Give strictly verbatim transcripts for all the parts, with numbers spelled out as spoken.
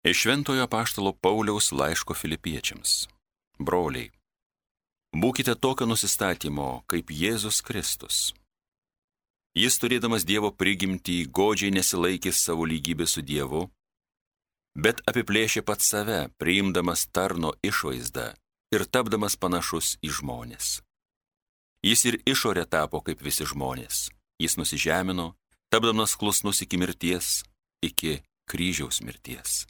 Iš Šventojo apaštalo Pauliaus laiško Filipiečiams. Broliai, būkite tokio nusistatymo kaip Jėzus Kristus. Jis, turėdamas Dievo prigimtį, godžiai nesilaikė savo lygybę su Dievu, bet apiplėšė pats save, priimdamas tarno išvaizdą ir tapdamas panašus į žmones. Jis ir išorė tapo kaip visi žmonės. Jis nusižemino, tapdamas klusnus iki mirties, iki kryžiaus mirties.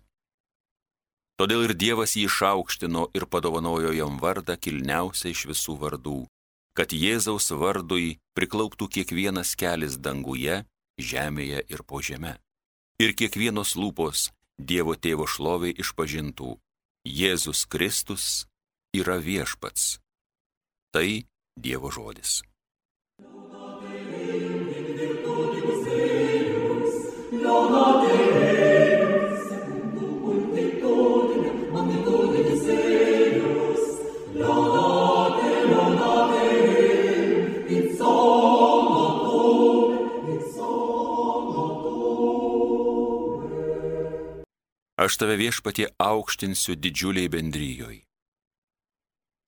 Todėl ir Dievas jį išaukštino ir padovanojo jam vardą kilniausią iš visų vardų, kad Jėzaus vardui priklauptų kiekvienas kelis danguje, žemėje ir po žeme. Ir kiekvienos lūpos Dievo Tėvo šloviai išpažintų: Jėzus Kristus yra viešpats. Tai Dievo žodis. Aš tave, Viešpatie, aukštinsiu didžiuliai bendrijoj.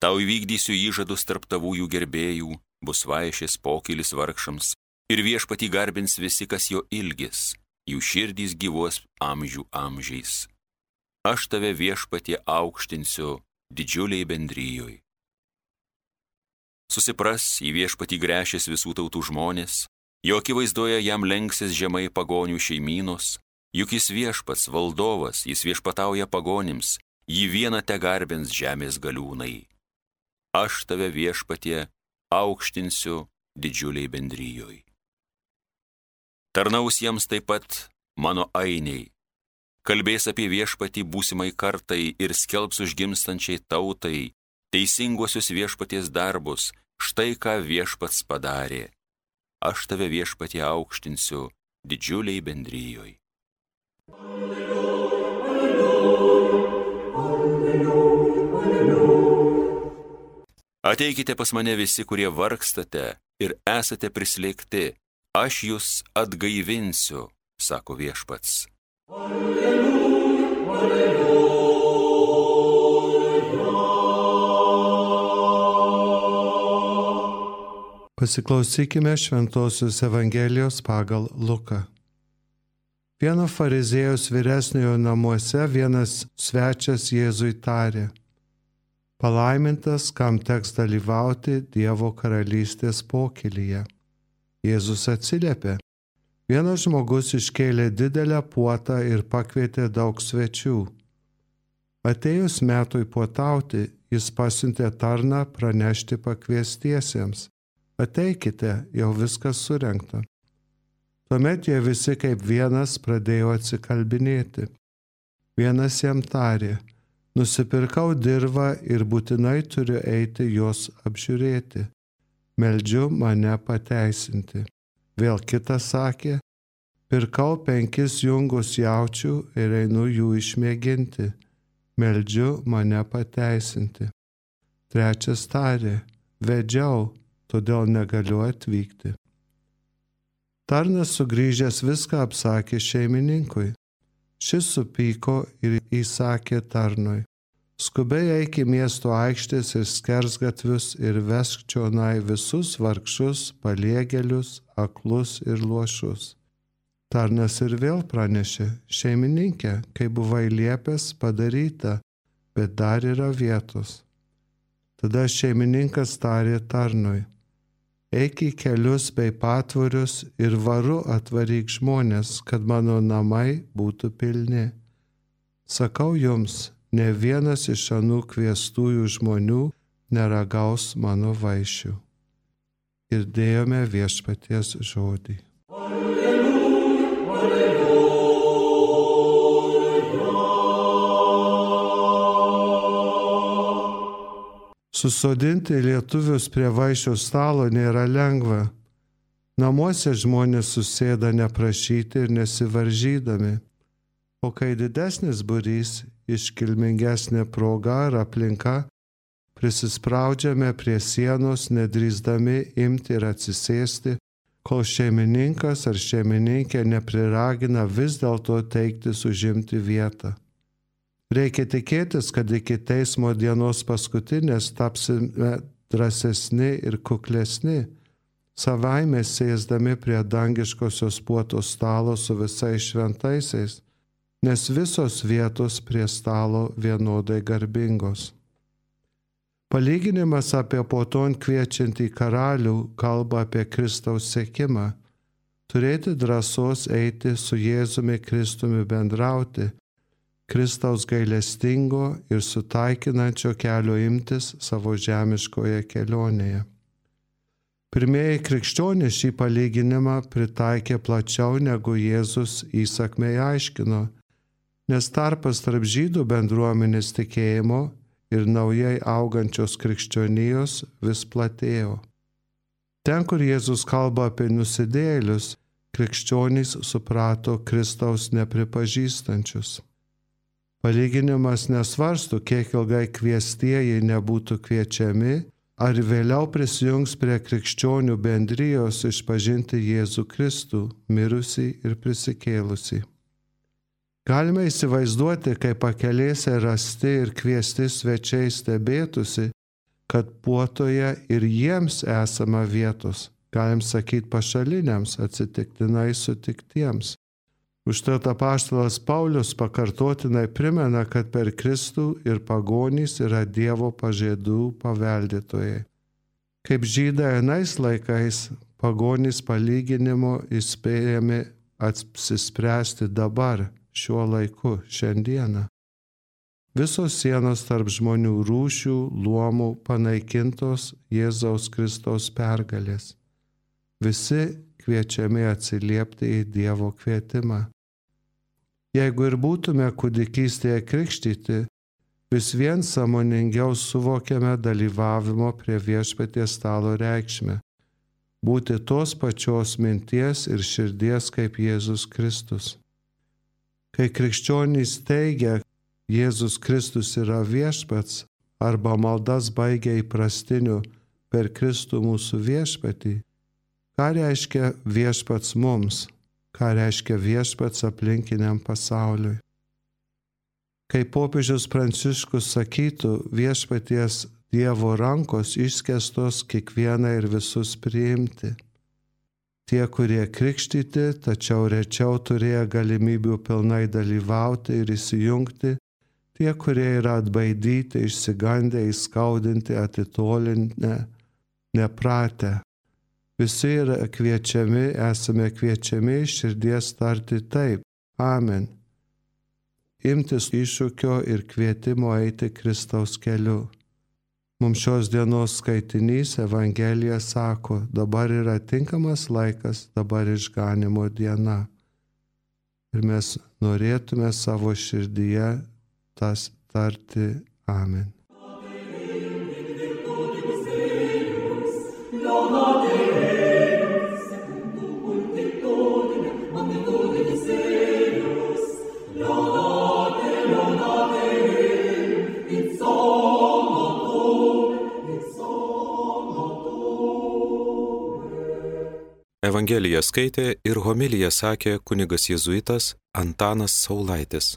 Tau įvykdysiu įžadus tarp tavųjų gerbėjų, bus vaišės pokylis vargšams, ir Viešpatį garbins visi, kas jo ilgis, jų širdys gyvuos amžių amžiais. Aš tave, Viešpatie, aukštinsiu didžiuliai bendrijoj. Susipras, į Viešpatį gręšės visų tautų žmonės, jo akivaizdoje jam lenksis žemai pagonių šeimynos. Juk jis viešpats, valdovas, jis viešpatauja pagonims, jį vieną te garbins žemės galiūnai. Aš tave, Viešpatie, aukštinsiu didžiuliai bendrijoj. Tarnaus jiems taip pat mano ainiai, kalbės apie Viešpatį būsimai kartai ir skelbs užgimstančiai tautai teisinguosius Viešpaties darbus, štai ką Viešpats padarė. Aš tave, Viešpatie, aukštinsiu didžiuliai bendrijoj. Ateikite pas mane visi, kurie vargstate ir esate prislėgti, aš jūs atgaivinsiu, sako Viešpats. Alleluja, alleluja. Pasiklausykime Šventosios Evangelijos pagal Luką. Vieno fariziejus vyresniojo namuose vienas svečias Jėzui tarė: palaimintas, kam teks dalyvauti Dievo karalystės pokylyje. Jėzus atsiliepė: vienas žmogus iškėlė didelę puotą ir pakvietė daug svečių. Atėjus metui puotauti, jis pasiuntė tarną pranešti pakviestiesiems: ateikite, jau viskas surengta. Tuomet jie visi kaip vienas pradėjo atsikalbinėti. Vienas jam tarė: nusipirkau dirvą ir būtinai turiu eiti jos apžiūrėti. Meldžiu mane pateisinti. Vėl kitas sakė: pirkau penkis jungus jaučių ir einu jų išmėginti. Meldžiu mane pateisinti. Trečias tarė: vedžiau, todėl negaliu atvykti. Tarnas sugrįžęs viską apsakė šeimininkui. Šis supyko ir įsakė tarnui: skubiai eik į miesto aikštės ir skersgatvius ir vesk čionai visus vargšus, paliegėlius, aklus ir luošus. Tarnas ir vėl pranešė: šeimininkė, kai buvai liepęs, padaryta, bet dar yra vietos. Tada šeimininkas tarė tarnui: eik į kelius bei patvorius ir varu atvaryk žmonės, kad mano namai būtų pilni. Sakau jums, ne vienas iš anų kviestųjų žmonių neragaus mano vaišių. Girdėjome Viešpaties žodį. Alleluja, alleluja. Susodinti lietuvius prie vaišių stalo nėra lengva. Namuose žmonės susėda neprašyti ir nesivaržydami. O kai didesnis būrys, iškilmingesnė proga ar aplinka, prisispraudžiame prie sienos, nedrįsdami imti ir atsisėsti, kol šeimininkas ar šeimininkė nepriragina vis dėlto teiktis užimti vietą. Reikia tikėtis, kad iki teismo dienos paskutinės tapsime drąsesni ir kuklesni, savaime sėsdami prie dangiškosios puotos stalo su visais šventaisiais, nes visos vietos prie stalo vienodai garbingos. Palyginimas apie puoton kviečiantį karalių kalba apie Kristaus sekimą, turėti drąsos eiti su Jėzumi Kristumi bendrauti, Kristaus gailestingo ir sutaikinančio kelio imtis savo žemiškoje kelionėje. Pirmieji krikščionys šį palyginimą pritaikė plačiau negu Jėzus įsakmiai aiškino, nes tarpas tarp žydų bendruomenės tikėjimo ir naujai augančios krikščionijos vis platėjo. Ten, kur Jėzus kalba apie nusidėjėlius, krikščionys suprato Kristaus nepripažįstančius. Palyginimas nesvarsto, kiek ilgai kviestieji nebūtų kviečiami, ar vėliau prisijungs prie krikščionių bendrijos išpažinti Jėzų Kristų, mirusį ir prisikėlusį. Galime įsivaizduoti, kaip pakelėse rasti ir kviesti svečiai stebėtųsi, kad puotoje ir jiems esama vietos, galim sakyti pašaliniams, atsitiktinai sutiktiems. Užtat apaštalas Paulius pakartotinai primena, kad per Kristų ir pagonys yra Dievo pažadų paveldėtojai. Kaip žydai anais laikais, pagonys palyginimo įspėjami apsispręsti dabar, šiuo laiku, šiandieną. Visos sienos tarp žmonių rūšių, luomų panaikintos Jėzaus Kristaus pergalės. Visi kviečiami atsiliepti į Dievo kvietimą. Jeigu ir būtume kūdikystėje krikštyti, vis vien sąmoningiau suvokiame dalyvavimo prie viešpaties stalo reikšmę, būti tos pačios minties ir širdies kaip Jėzus Kristus. Kai krikščionys teigia, Jėzus Kristus yra viešpats, arba maldas baigia įprastiniu per Kristų mūsų viešpatį, ką reiškia viešpats mums, ką reiškia viešpats aplinkiniam pasauliui. Kai popiežius Pranciškus sakytų, viešpaties Dievo rankos išskėstos kiekvieną ir visus priimti. Tie, kurie krikštyti, tačiau rečiau turėjo galimybių pilnai dalyvauti ir įsijungti, tie, kurie yra atbaidyti, išsigandę, įskaudinti, atitolinę, nepratę. Visi yra kviečiami, esame kviečiami iš širdies tarti taip, amen. Imtis iššūkio ir kvietimo eiti Kristaus keliu. Mums šios dienos skaitinys Evangelija sako, dabar yra tinkamas laikas, dabar išganimo diena. Ir mes norėtume savo širdyje tas tarti amen. Evangeliją skaitė ir homiliją sakė kunigas jėzuitas Antanas Saulaitis.